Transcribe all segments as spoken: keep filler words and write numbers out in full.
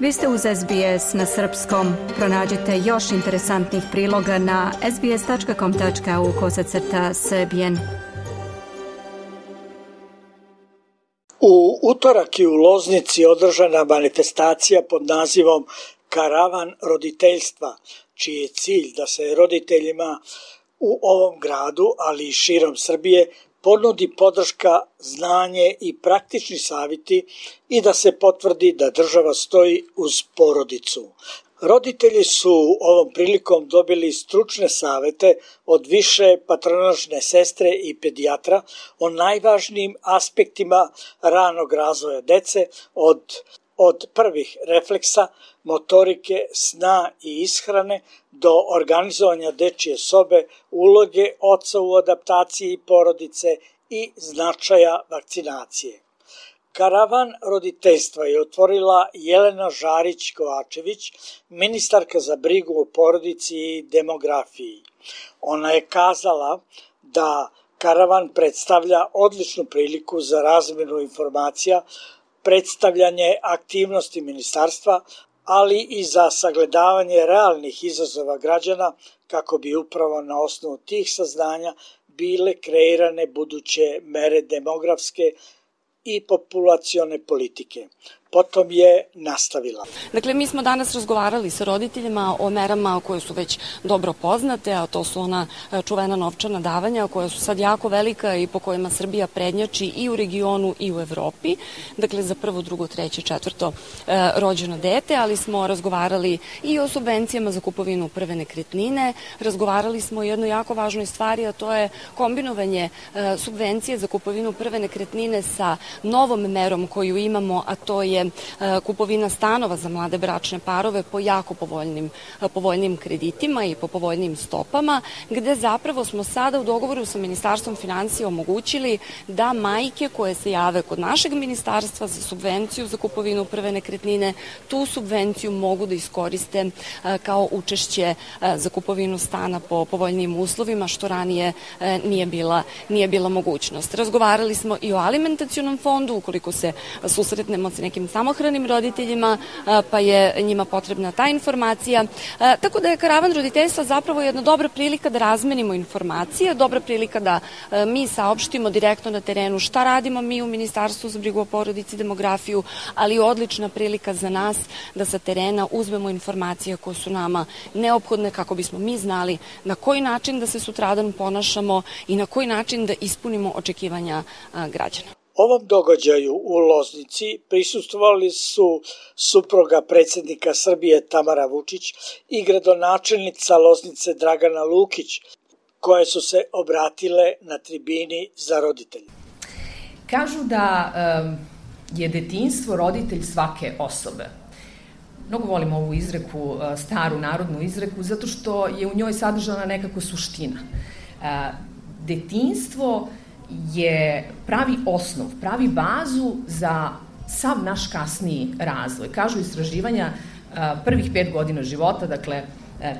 Vi ste uz S B S na srpskom. Pronađite još interesantnih priloga na sbs.com.au kosacrta srbijen. U utorak je u Loznici održana manifestacija pod nazivom Karavan roditeljstva, čiji je cilj da se roditeljima u ovom gradu, ali i širom Srbije, ponudi podrška, znanje i praktični savjeti i da se potvrdi da država stoji uz porodicu. Roditelji su ovom prilikom dobili stručne savjete od više patronažne sestre i pedijatra o najvažnijim aspektima ranog razvoja dece, od, od prvih refleksa, motorike, sna i ishrane do organizovanja dečije sobe, uloge oca u adaptaciji porodice i značaja vakcinacije. Karavan roditeljstva je otvorila Jelena Žarić-Kovačević, ministarka za brigu o porodici i demografiji. Ona je kazala da karavan predstavlja odličnu priliku za razmjenu informacija, predstavljanje aktivnosti ministarstva, ali i za sagledavanje realnih izazova građana kako bi upravo na osnovu tih saznanja bile kreirane buduće mere demografske i populacione politike. Potom je nastavila. Dakle, mi smo danas razgovarali sa roditeljima o merama koje su već dobro poznate, a to su ona čuvena novčana davanja koja su sad jako velika i po kojima Srbija prednjači i u regionu i u Evropi. Dakle, za prvo, drugo, treće, četvrto e, rođeno dete, ali smo razgovarali i o subvencijama za kupovinu prve nekretnine. Razgovarali smo o jednoj jako važnoj stvari, a to je kombinovanje e, subvencije za kupovinu prve nekretnine sa novom merom koju imamo, a to je kupovina stanova za mlade bračne parove po jako povoljnim, povoljnim kreditima i po povoljnim stopama, gde zapravo smo sada u dogovoru sa Ministarstvom finansija omogućili da majke koje se jave kod našeg ministarstva za subvenciju za kupovinu prve nekretnine, tu subvenciju mogu da iskoriste kao učešće za kupovinu stana po povoljnim uslovima, što ranije nije bila, nije bila mogućnost. Razgovarali smo i o alimentacionom fondu, ukoliko se susretnemo sa nekim samohranim roditeljima, pa je njima potrebna ta informacija. Tako da je karavan roditeljstva zapravo jedna dobra prilika da razmenimo informacije, dobra prilika da mi saopštimo direktno na terenu šta radimo mi u Ministarstvu za brigu o porodici i demografiju, ali odlična prilika za nas da sa terena uzmemo informacije koje su nama neophodne kako bismo mi znali na koji način da se sutradan ponašamo i na koji način da ispunimo očekivanja građana. Ovom događaju u Loznici prisustvovali su supruga predsjednika Srbije Tamara Vučić i gradonačelnica Loznice Dragana Lukić, koje su se obratile na tribini za roditelje. Kažu da um, je detinjstvo roditelj svake osobe. Mnogo volim ovu izreku, staru narodnu izreku, zato što je u njoj sadržana nekako suština. Uh, detinjstvo je pravi osnov, pravi bazu za sav naš kasniji razvoj. Kažu istraživanja prvih pet godina života, dakle,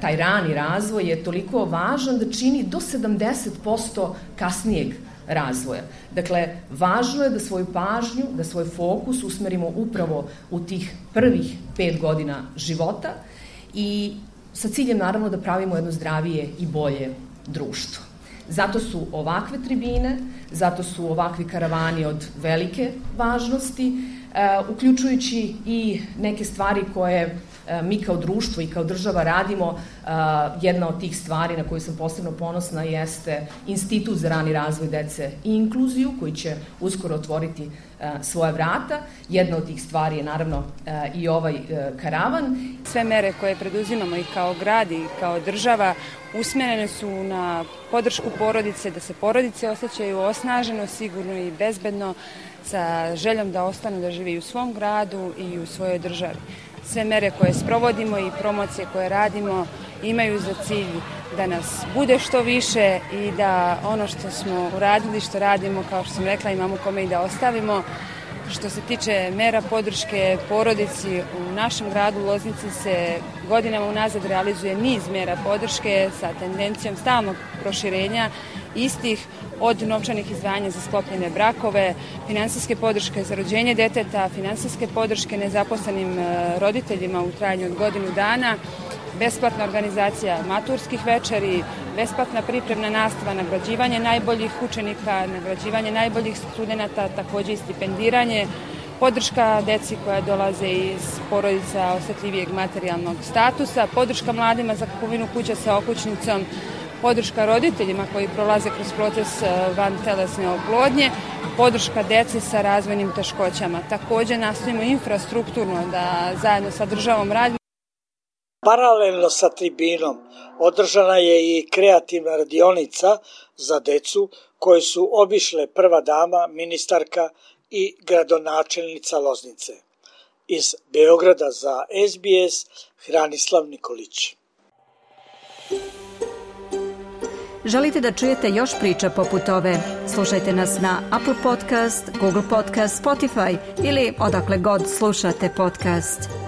taj rani razvoj je toliko važan da čini do sedamdeset posto kasnijeg razvoja. Dakle, važno je da svoju pažnju, da svoj fokus usmerimo upravo u tih prvih pet godina života i sa ciljem naravno da pravimo jedno zdravije i bolje društvo. Zato su ovakve tribine, zato su ovakvi karavani od velike važnosti, uključujući i neke stvari koje mi kao društvo i kao država radimo. Jedna od tih stvari na koju sam posebno ponosna jeste Institut za rani razvoj dece i inkluziju, koji će uskoro otvoriti svoja vrata. Jedna od tih stvari je naravno i ovaj karavan. Sve mere koje preduzimamo i kao grad i kao država usmjerene su na podršku porodice, da se porodice osjećaju osnaženo, sigurno i bezbedno, sa željom da ostanu da žive i u svom gradu i u svojoj državi. Sve mere koje sprovodimo i promocije koje radimo imaju za cilj da nas bude što više i da ono što smo uradili, što radimo, kao što sam rekla, imamo kome i da ostavimo. Što se tiče mera podrške porodici, u našem gradu Loznici se godinama unazad realizuje niz mera podrške sa tendencijom stalnog proširenja istih, od novčanih izdvajanja za sklopljene brakove, finansijske podrške za rođenje deteta, finansijske podrške nezaposlenim roditeljima u trajanju od godinu dana, besplatna organizacija maturskih večeri, besplatna pripremna nastava, nagrađivanje najboljih učenika, nagrađivanje najboljih studenata, takođe i stipendiranje, podrška deci koja dolaze iz porodica osetljivijeg materijalnog statusa, podrška mladima za kupovinu kuća sa okućnicom, podrška roditeljima koji prolaze kroz proces vantelesne oplodnje, podrška deci sa razvojnim teškoćama. Takođe nastojimo infrastrukturno da zajedno sa državom radimo. Paralelno sa tribinom održana je i kreativna radionica za decu koju su obišle prva dama, ministarka i gradonačelnica Loznice. Iz Beograda za S B S, Hranislav Nikolić. Želite da čujete još priča poput ove? Slušajte nas na Apple Podcast, Google Podcast, Spotify ili odakle god slušate podcast.